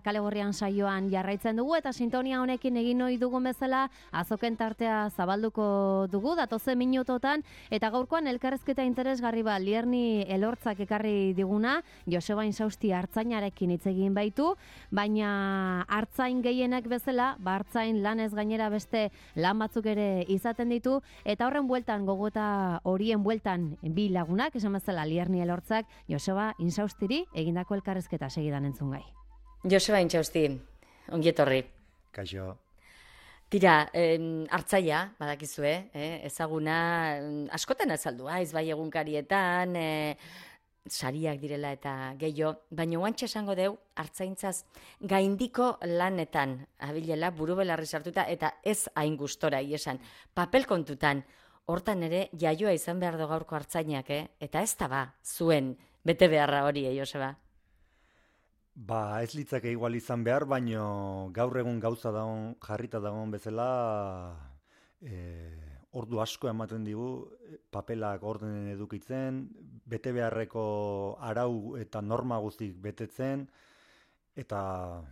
Kale Gorrian saioan jarraitzen dugu eta sintonia honekin egin ohi dugun bezala azoken tartea zabalduko dugu datozen minutotan eta gaurkoan elkarrezketa interesgarri bat Lierni Elortzak ekarri diguna Joseba Insausti artzainarekin hitz egin baitu, baina artzain gehienak bezala, artzain lanez gainera beste lan batzuk ere izaten ditu eta horren bueltan gogoeta horien bueltan bi lagunak, esan bezala Lierni Elortzak Joseba Insaustiri egindako elkarrezketa segidan entzungai. Joseba Intxausti, ongietorri. Kaixo. Tira, hartzaia, badakizue, ezaguna askotan azaldua, ez bai egunkarietan, sariak direla eta gehiago, baina oantxe esango deu, hartzaintzaz gaindiko lanetan, abilela, buru belarri sartuta, eta ez hain gustora, esan, papel kontutan, hortan ere jaioa izan behar do gaurko hartzainak, eta ez da ba, zuen, bete beharra hori, Joseba? Ba, ez litzake igual izan behar, baino gaur egun gauza dagoen, jarrita dagoen bezala, ordu asko ematen digu, papelak ordenen edukitzen, bete beharreko arau eta norma guztik betetzen, eta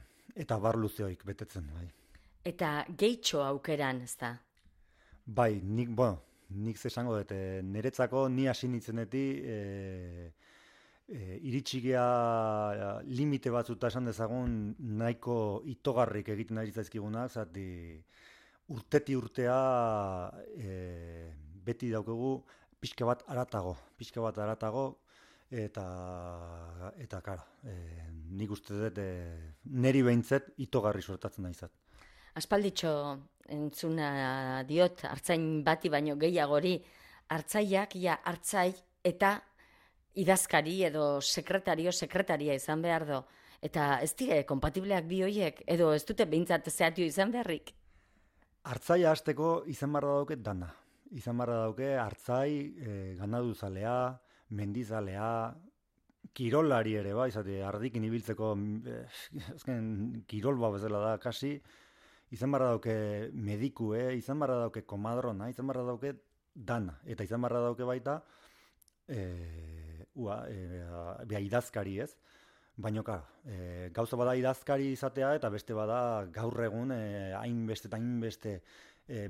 bar luzeoik betetzen, bai. Eta gehitxo aukeran, ez da? Bai, nik zesango dut, niretzako ni hasi nintzenetik, iritsi gea limite batzuta esan dezagun nahiko itogarrik egiten ari zaizkigunak, zati urteti urtea beti daukagu pixka bat aratago eta kara, nik uste dut neri behintzet itogarri sortatzen naizat. Aspalditxo entzuna diot, hartzain bati baino gehiagori, hartzaiak, hartzai eta idazkari edo sekretaria izan behar do. Eta ez dire, kompatibleak bi hoiek, edo ez dute behintzat zehatio izan beharrik? Hartzaia hasteko izan barra dauke dana. Izan barra dauke hartzai, ganaduzalea, mendizalea, kirolari ere, izate, ardikin ibiltzeko, azken kirol bezala da, kasi, izan barra dauke medikue, izan barra dauke komadrona, izan barra dauke dana. Eta izan barra dauke baita, idazkari ez, baina gauza bada idazkari izatea eta beste bada gaur egun hainbeste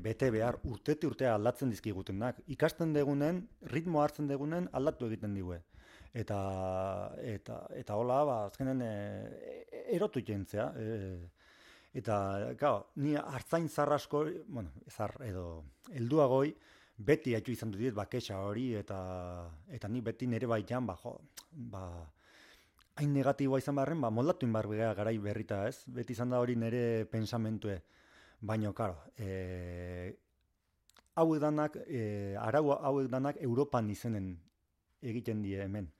bete behar urtea aldatzen dizkigutenak. Ikasten degunen, ritmo hartzen degunen aldatu egiten digue. Eta hola, azkenen erotu jentzea. Eta, ni hartzain zarrasko, edo helduagoi, beti haitu izan dut baketxa hori, eta ni beti nire baitan, hain negatiboa izan beharren, moldatu inbar garai berrita ez, beti izan da hori nire pensamentue. Baina, hauek danak, arau hauek danak Europan izenen egiten die hemen.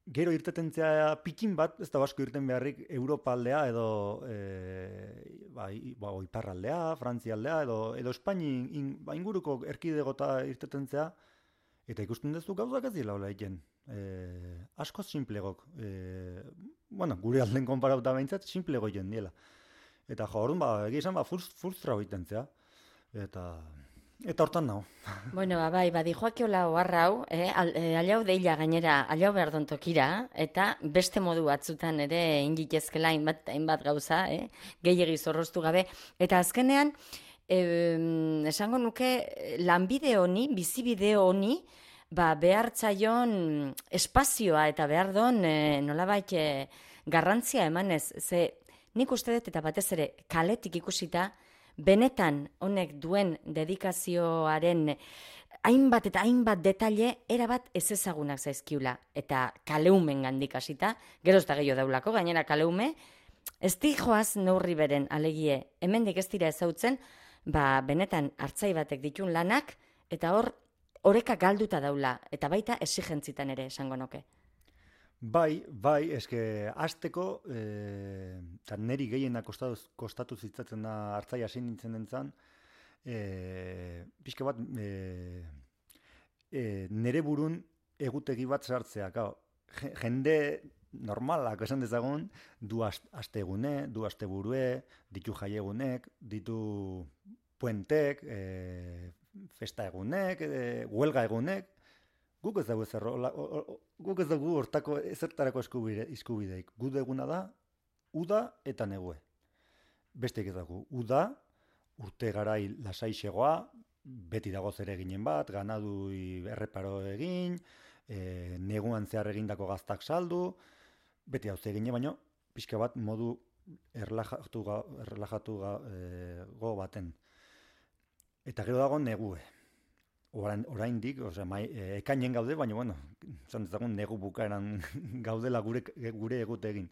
Gero irtetentzea pikin bat, ez da basko irten beharrik Europa aldea edo Iparraldea, Frantzia aldea edo Espaini inguruko erkidegota irtetentzea eta ikusten duzu gauzak ez dira hola egiten. Askoz simplegok. Gure alden konparauta behintzat simplego egiten diela. Eta orduan egia esan frustra egiten zea. Eta hortan nago. Bueno, bai, dijoakiola oharrau, alau deila gainera, alau behar tokira, eta beste modu batzutan ere ingitezkela hainbat gauza, gehiegi zorroztu gabe. Eta azkenean, esango nuke, lanbide honi, bizibide honi, behartzaion espazioa eta behar don nolabait garrantzia emanez. Ze nik uste dut eta batez ere kaletik ikusita, benetan honek duen dedikazioaren hainbat eta hainbat detaile erabat ez ezagunak zaizkiula. Eta kaleumen gandik hasita, gero ez da gehiago daulako, gainera kaleume, ez di joaz neurri beren alegie, hemendik ez dira ezautzen, benetan hartzai batek ditun lanak, eta oreka galduta daula, eta baita esigentzitan ere esango nuke. Bai, eske hasteko, eta neri gehienak kostatu zitzatzen da hartzaia hasi nintzen dentzan, pixka bat nere burun egutegi bat sartzea. Jende normalak esan dezagun, du astegune, du asteburue, ditu jaiegunek, ditu puentek, festa egunek, huelga egunek, guk ez dugu hortako ezertarako eskubideik. Guk eguna da uda eta negue. Besteik ez dago, uda, urte garai lasaixegoa, beti dago zer eginen bat, ganadu erreparo egin, neguan zehar egindako gaztak saldu, beti hau egine, baino pixka bat modu erlajatu go baten. Eta gero dago negue. Oraindik, ekainen gaude, baina, bueno, zan dezagun negu bukaeran gaudela gure egute egin.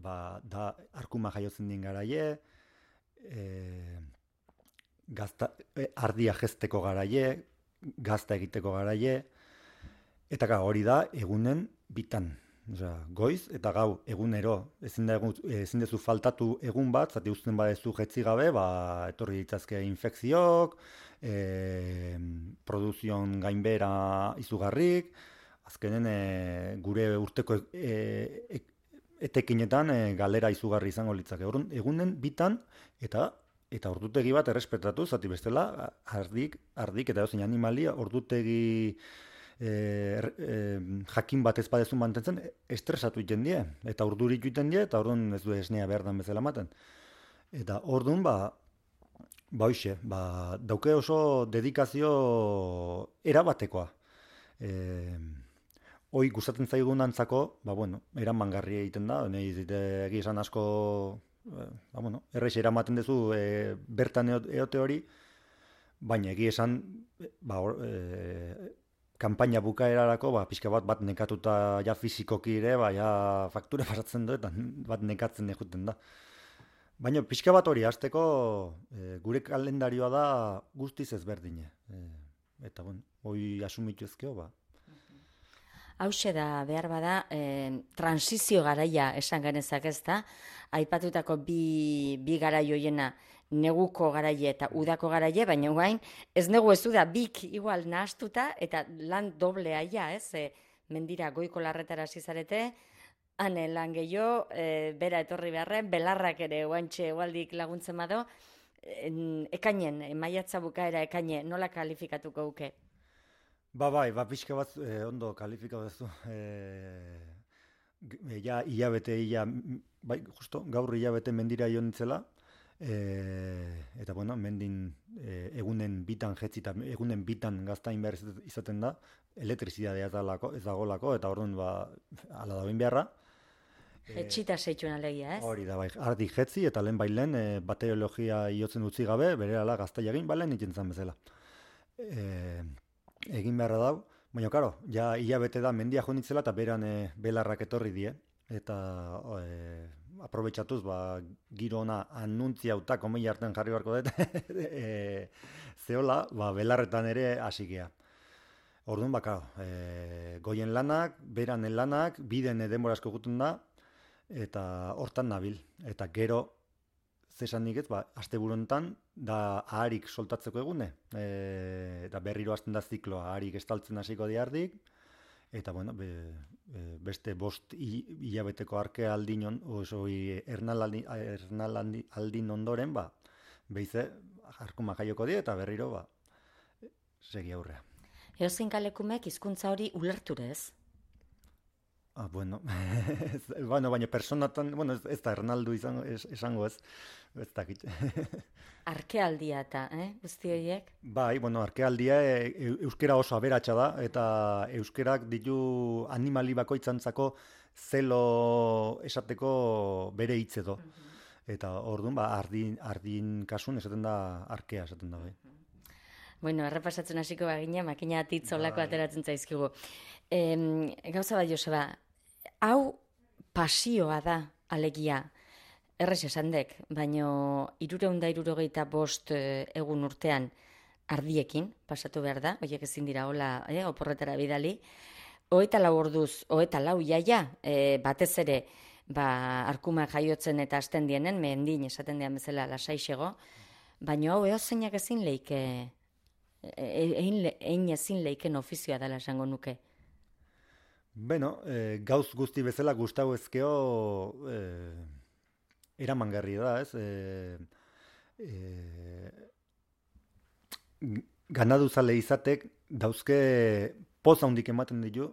Da, arkuma jaiotzen din garaie, ardia jezteko garaie, gazta egiteko garaie, eta hori da egunen bitan. Goiz eta gau egunero, ezin dezu faltatu egun bat, zati uzten badezu jetzi gabe, etorri ditzazke infekziok, produzion gainbera izugarrik, azkenen gure urteko etekinetan galera izugarri izango litzake. Egunen bitan eta ordutegi bat errespetatu, zati bestela, ardik eta dozein animalia ordutegi jakin bat ez badezu mantentzen, estresatu iten die, eta urdurik iten die, eta orduan ez du esnea behar dan bezala maten. Eta orduan, dauke oso dedikazio erabatekoa. Hoi gustatzen zaigun antzako, eramangarri egiten da, egia esan asko, erreix eramaten duzu bertan eote hori, baina egia esan, kanpaina bukaerarako, pixka bat nekatuta ja fizikoki ere, ja faktura pasatzen du, eta bat nekatzen egiten da. Baina pixka bat hori, hasteko gure kalendarioa da guztiz ezberdine. Eta, hori asumitu ezkeo, Hauxe da, behar bada, transizio garaia esan genezak ez da, aipatutako bi garai hoiena, neguko garaie eta udako garaie, baina guain, ez negu ez da, bik igual nahastuta, eta lan doblea ja, ez? Mendira goiko larretara zizarete, hane lan gehiago, bera etorri beharren, belarrak ere guantxe egualdik laguntzen bado, ekainen, maiatza bukaera ekaine, nola kalifikatuko guke? Pixka bat ondo kalifikatu duzu. Hilabete, justo, gaur hilabete mendira joan nitzela, eta mendin egunen bitan jetzi eta egunen bitan gaztain behar izaten da, elektrizidadea ez dagolako, eta orduan ala da beharra. Etxita zeitxuen alegia, ez? Hori da, ardik jetzi eta lehen bateriologia iotzen utzi gabe, berehala gaztai egin, nintzen bezala. Egin beharra dau, baina, karo, ja hilabete da mendia joan nitzela eta beran belarrak etorri die, eta aprobetxatuz, giro ona anuntziauta, komei hartan jarri barko dut, zehola, belarretan ere hasikea. Orduan, goien lanak, beranen lanak, biden denbora asko gutun da, eta hortan nabil. Eta gero, zesanik ez, asteburontan, da aharik soltatzeko egune, eta berriro hasten da zikloa, aharik estaltzen hasiko diardik, eta beste 5 hilabeteko arke aldin ernalaldin ondoren, behize, arkuma jaioko die, eta berriro, segi aurrea. Eozein kalekumek hizkuntza hori ulerture ez? Baina personatan, ez da ernaldu esango ez dakit. Arkealdia eta, guzti horiek? Arkealdia euskera oso aberatsa da, eta euskerak ditu animali bakoitzantzako zelo esateko bere hitz edo. Eta orduan, ardin kasun esaten da arkea esaten da. Errepasatzen hasiko bagina, makina titzolako ateratzen zaizkigu. Gauza bat, Joseba, hau pasioa da, alegia, errez esandek, baina 365 egun urtean ardiekin, pasatu behar da, horiek ezin dira hola, oporretara bidali, 24 orduz, 24 iaia, batez ere, arkuma jaiotzen eta hasten dienen, mendin esaten dian bezala lasaixego, baina hau eozeinak ezin leike, egin ezin leiken ofizioa dela esango nuke. Gauz guzti bezala gustau ezkeo eramangarri da, ez? Ganaduzale izatek dauzke poz handik ematen ditu,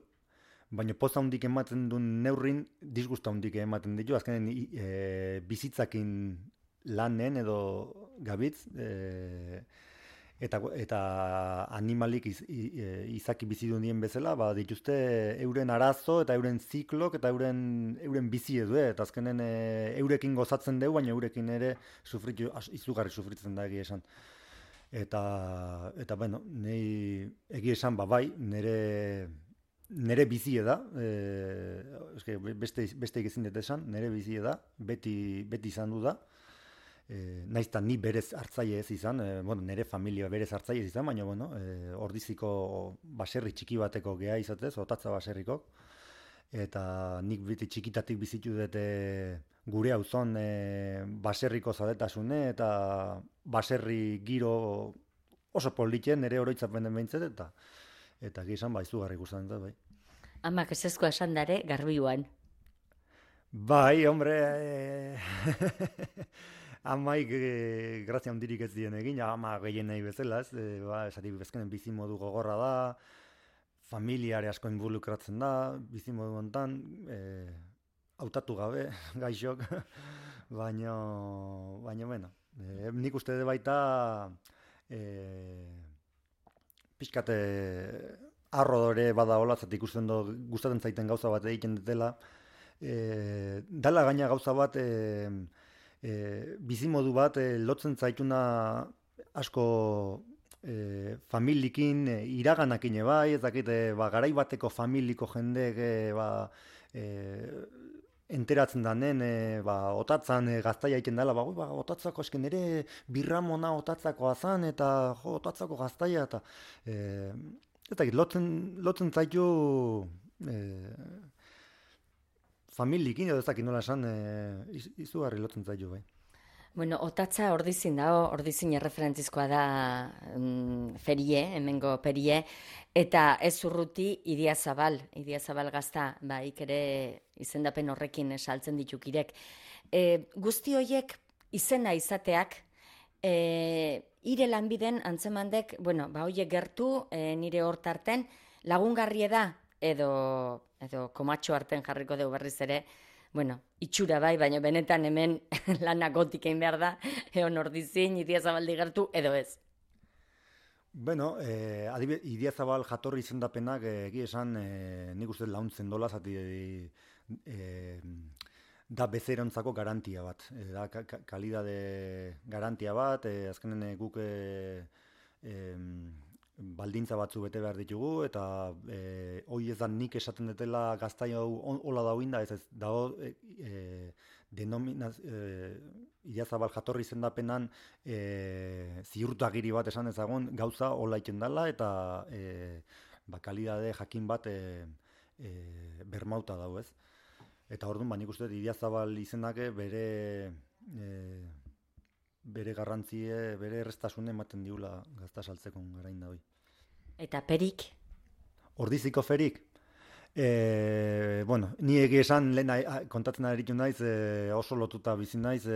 baina poza handik ematen duen neurrin, disgusta handik ematen ditu, azkenen bizitzakin lanen edo gabitz, eta animalik izaki bizi duen bezala, ba, dituzte euren arazo eta euren ziklok eta euren bizi edu, eta azkenen eurekin gozatzen dugu, baina eurekin ere izugarri sufritzen da egia esan. Eta bueno, nahi egia esan, ba, bai, nere bizie da, beste ezin dut esan, nere bizie da, beti izan du da, naizta ni berez hartzaile ez izan, nire familia berez hartzaile ez izan, baina Ordiziko baserri txiki bateko geha izatez, Otatza baserriko, eta nik beti txikitatik bizitu dut gure auzon baserriko zadetasune, eta baserri giro oso politen, nire oroitzapen den behintzet, eta gizan izugarri guztan da, bai. Amak ezezkoa esan dare, Garbiuan. Bai, hombre, amaik grazia handirik ez dien egin, ama gehien nahi bezala, esatik bezkenen bizimodu gogorra da, familiare asko involukratzen da, bizimodu hontan, hautatu gabe, gaixok, baina, bueno, nik uste de baita, pixkate arrodore bada hola, zati ikusten gustatzen zaiten gauza bat egiten dutela, dala gaina gauza bat, bizimodu bat lotzen zaituna asko familikin, iraganakin bai, ez dakit, garai bateko familiko jendek enteratzen danen, Otatzan gaztaia egiten dela, Otatzako esken ere birramona Otatzakoa zan, eta Otatzako gaztaia, eta ez dakit, lotzen zaitu familikin, edo ez dakit nola esan, izugarri lotzen zaitu, bai. Bueno, Otatza Ordizin dago, Ordizin erreferentzizkoa da ferie, hemengo perie, eta ez urruti Idiazabal gazta, ere izendapen horrekin saltzen ditukirek. Guzti horiek izena izateak, ire lanbiden antzemandek, horiek gertu, nire hortarten, lagungarrie da, edo komatxo arten jarriko dugu berriz ere, itxura bai, baina benetan hemen lanak gotik egin behar da, egon Ordizin, Idiazabaldi gertu, edo ez. Bueno, Idiazabal jatorri izendapenak egia esan nik uste launtzen dola, zati da bezerontzako garantia bat, da kalidade garantia bat, azkenen guk baldintza batzu bete behar ditugu, eta hoi ez da nik esaten dutela gaztai hau hola dauin da, ez dago Idiazabal jatorri izendapenan ziurtagiri bat esan ezagun gauza hola iten dela, eta kalidade jakin bat bermauta dau, ez? Eta orduan, nik uste Idiazabal izenak bere garrantzie, bere errestasune ematen diula gazta saltzeko garain da hoi. Eta perik? Ordiziko ferik? Ni egia esan lehen kontatzen aritu naiz, oso lotuta bizi naiz,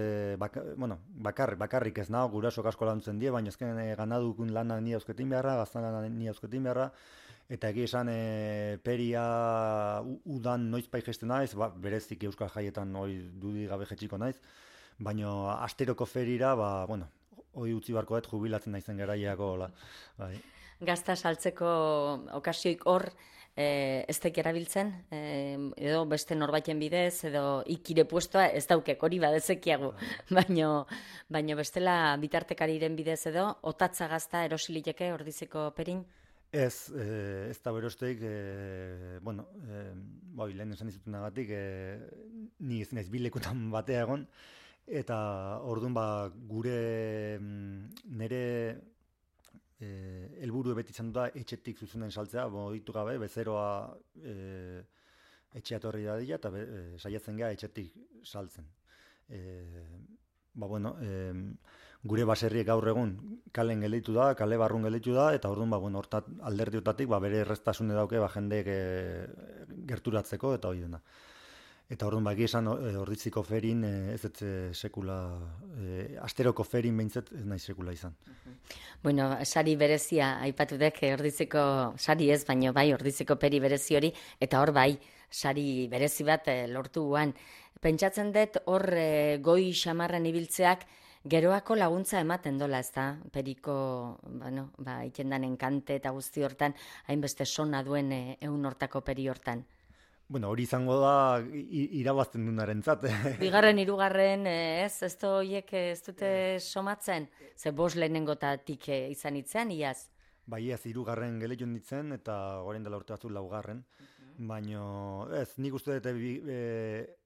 bakarrik ez nago, gurasok asko lantzen die, baina ezken ganadukun lana ni ausketin beharra, gaztan lana ni ausketin beharra, eta egia esan peria udan noizpai gesten naiz, berezik euskal jaietan dudi gabe jetxiko naiz, baina asteroko ferira, hoi utzi barko dut jubilatzen naizen garaiako, bai. Gazta saltzeko okasioik hor, ez daik erabiltzen, edo beste norbaiten bidez, edo ikire puestoa, ez daukek hori badezekiagu, baina bestela bitartekariren bidez edo, Otatza gazta erosiliteke Ordiziko perin? Ez da berosteik, lehen esan izutunagatik, ni ez naiz bilekutan batea egon, eta orduan gure nire helburu beti izan da etxetik zuzenen saltzea, ditu gabe, bezeroa etxea torri dadila, eta saiatzen gara etxetik saltzen. Gure baserriek gaur egun kalen gelditu da, kale barrun gelditu da, eta orduan alderdiotatik bere errestasune dauke jendeek gerturatzeko, eta hori dena. Eta orduan bagi esan Orditziko ferin ez sekula, asteroko ferin behintzat ez nahi sekula izan. Bueno, sari berezia aipatu dek Orditziko sari ez, baino bai Orditziko peri berezi hori, eta hor bai sari berezi bat lortu guan. Pentsatzen dut hor goi xamarren ibiltzeak geroako laguntza ematen dola, ez da? Periko, bueno, itendan enkante eta guzti hortan, hainbeste sona duen ehun hortako peri hortan. Bueno, hori izango da irabazten dunarentzat. Bigarren, hirugarren, ez horiek ez dute somatzen? Ze bost lehenengotatik izan itzean, iaz? Bai, ez, hirugarren geleion ditzen, eta orain dela urte batzuk laugarren. Baina, ez, nik uste dute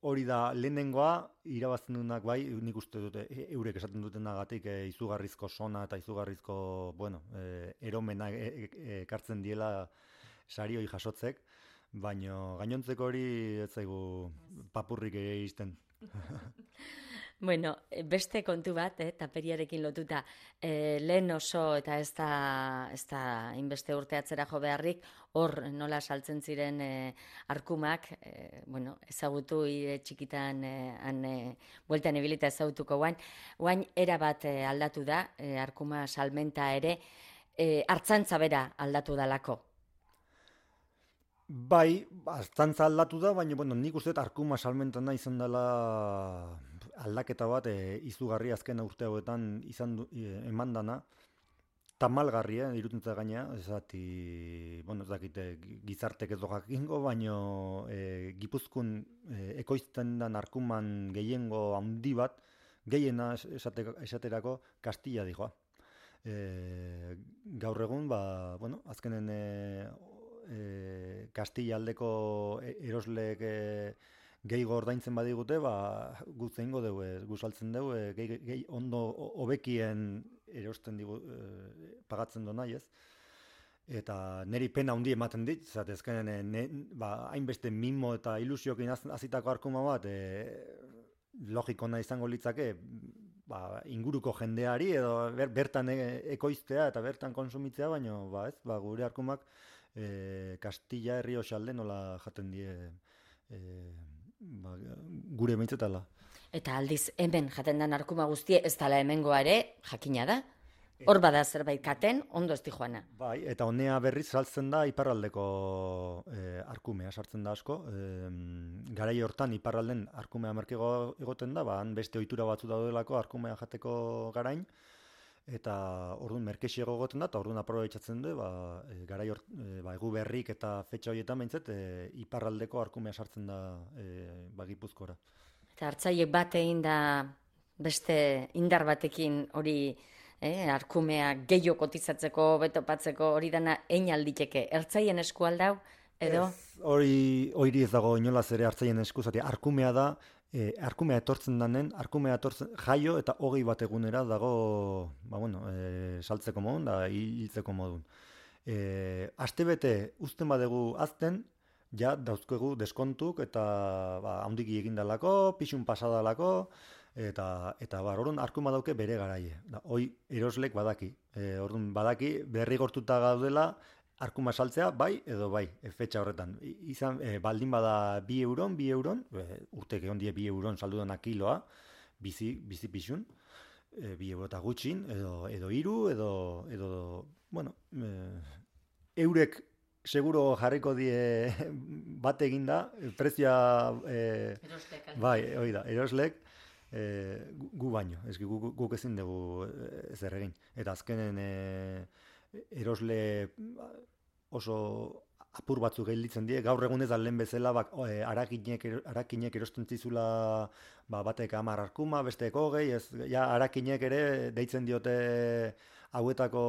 hori da lehenengoa, irabazten dunak bai, nik uste dute eurek esaten dutenagatik izugarrizko sona eta izugarrizko, bueno, eromena ekartzen diela sari hori jasotzek. Baina gainontzeko hori ez zaigu papurrik iristen. Bueno, beste kontu bat, taperiarekin lotuta, lehen oso eta ez da inbeste urte atzera jo beharrik, hor nola saltzen ziren arkumak, bueno, ezagutu txikitan bueltan ibilita ezagutuko guain erabat aldatu da, arkuma salmenta ere, hartzantza bera aldatu dalako. Bai, aztantza aldatu da, baina bueno, nik uste arkuma salmentana izan dela aldaketa bat izugarri azken urte hauetan eman dana. Tamalgarria, irutentza gaina, bueno, ez dakite gizartek ez do jakingo, baina Gipuzkoan ekoizten den arkuman gehiengo handi bat, gehiena esaterako Kastilla dijoa. Gaur egun, bueno, azkenen Kastilla aldeko erosleek gehiago ordaintzen badigute, guzteingo dugu, guzaltzen dugu, gehi ondo hobekien erosten digu, pagatzen do nahi ez. Eta niri pena handi ematen dit, zatezkenen hainbeste mimo eta ilusiokin azitako arkuma bat, logikona izango litzake, inguruko jendeari edo bertan ekoiztea eta bertan konsumitzea, baina gure arkumak Kastilla herri osalde nola jaten die gure beintzetala. Eta aldiz hemen jaten den arkuma guztie ez dala hemengoa ere jakina da? Hor bada zerbait katen, ondo ez di joana. Bai, eta honea berriz saltzen da iparraldeko arkumea sartzen da asko. Garai hortan iparralden arkumea merkego egoten da, han beste ohitura batzu daudelako arkumea jateko garain. Eta orduan merkexiego egoten da, eta orduan aprobetxatzen du, garai egu berrik eta fetxa horietan behintzet, iparraldeko arkumea sartzen da Gipuzkora. Eta hartzaiek bat egin da beste indar batekin hori arkumea gehiago kotizatzeko, betopatzeko hori dana ein alditeke. Ertzaien esku aldau, edo? Hori ez dago inolaz ere hartzaien esku, zati arkumea da, arkumea etortzen danen, jaio eta 20 bat egunera dago, saltzeko modun, da hiltzeko modun. Astebete uzten badegu azten, ja dauzkegu deskontuk eta handiki egindalako, pixun pasadalako, eta orduan arkuma dauke bere garaie. Hoi eroslek badaki. Orduan badaki berri gortuta gaudela arkuma saltzea bai edo bai, fetxa horretan. Baldin bada 2 euron, urtek egon die 2 euron saldudana kiloa, bizi pixun, 2 euro eta gutxin, edo 3, edo bueno, eurek seguro jarriko die bat eginda, prezioa bai, hori da, eroslek, gu baino, guk ezin dugu zer egin. Eta azkenen erosle oso apur batzuk gelditzen die, gaur egun ez da lehen bezala arakinek erosten zizula batek 10 arkuma, besteek 20, arakinek ere deitzen diote hauetako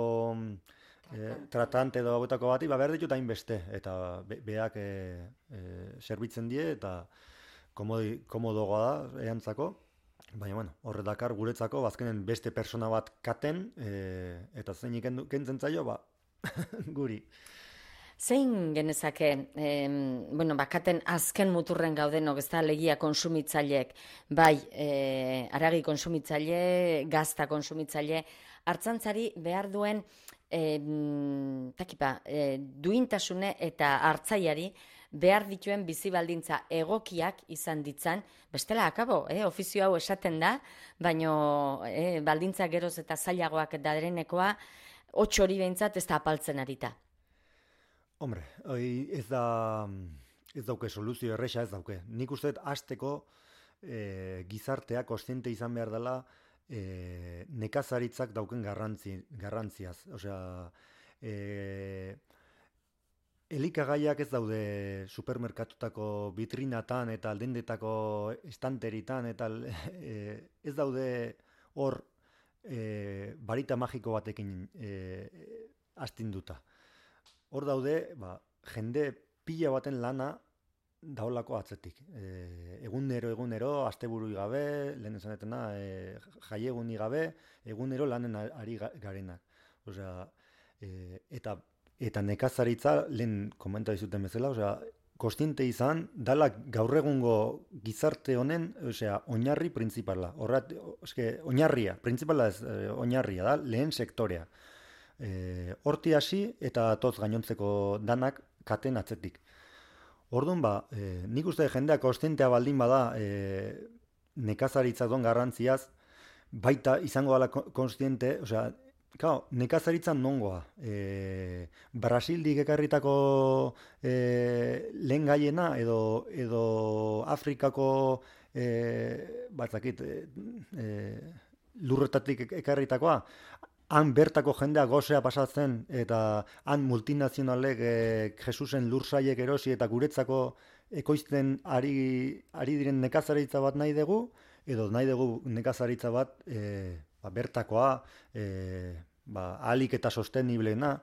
tratante edo hauetako bati, behar ditut hainbeste, eta beak zerbitzen die, eta komodogoa da, eantzako. Baina, horre dakar guretzako, azkenen beste persona bat katen, eta zeinik kentzen zaio, guri. Zein genezake, katen azken muturren gaudenok, ez da legia konsumitzaileek, bai, aragi konsumitzaile, gazta konsumitzaile, hartzantzari behar duen duintasune eta hartzaiari behar dituen bizi baldintza egokiak izan ditzan, bestela akabo, ofizio hau esaten da, baino baldintza geroz eta zailagoak darenekoa, hots hori behintzat ez da apaltzen arita. Hombre, ez dauke soluzio erresa, ez dauke. Nik uste dut hasteko gizartea kontziente izan behar dela nekazaritzak dauken garrantziaz. Osea, elikagaiak ez daude supermerkatutako vitrinatan eta aldendetako estanteritan, eta ez daude hor barita magiko batekin astinduta. Hor daude, jende pila baten lana daolako atzetik. Egunero, asteburui gabe, lehen esanetena, jaieguni gabe, egunero lanen ari garenak. Osea, eta nekazaritza, lehen komenta dizuten bezala, osea, kontziente izan, dala gaur egungo gizarte honen, osea, oinarri printzipala. Oinarria, printzipala ez, oinarria da, lehen sektorea. Horti hasi eta toz gainontzeko danak katen atzetik. Orduan nik uste jendeak kontzientea baldin bada nekazaritza don garrantziaz, baita izango dela kontziente, osea, nekazaritza nongoa. Brasildik ekarritako lehen gaiena edo Afrikako lurretatik ekarritakoa, han bertako jendea gozea pasatzen, eta han multinazionalek Jesusen lursaiek erosi eta guretzako ekoizten ari diren nekazaritza bat nahi dugu, edo nahi dugu nekazaritza bat bertakoa, ahalik eta sosteniblena,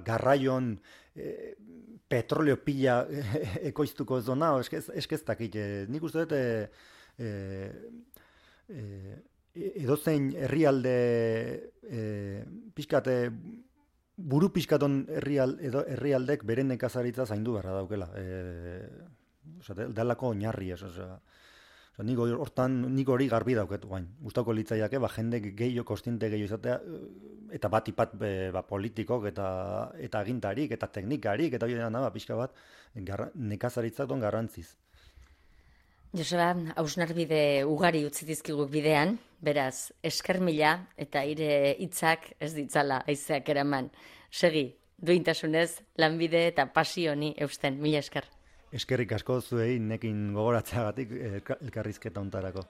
garraion petroleo pila ekoiztuko ez dona, eskeztakit. Nik uste dut edozein herrialde buru pixkaton herrialdek beren nekazaritza zaindu beharra daukela. Dalako oinarri ez. Nik hori garbi dauket guain. Gustauko litzaiake, jende gehiago, kontziente gehiago izatea, eta bat politikok eta agintarik, eta teknikarik, eta pixka bat nekazaritzak don garrantziz. Joseba, hausnarbide ugari utzi dizkigu bidean, beraz, esker mila eta ire hitzak ez ditzala haizeak eraman. Segi, duintasunez, lanbide eta pasioni eusten, mila esker. Eskerrik asko zuei nekin gogoratzeagatik elkarrizketa hontarako.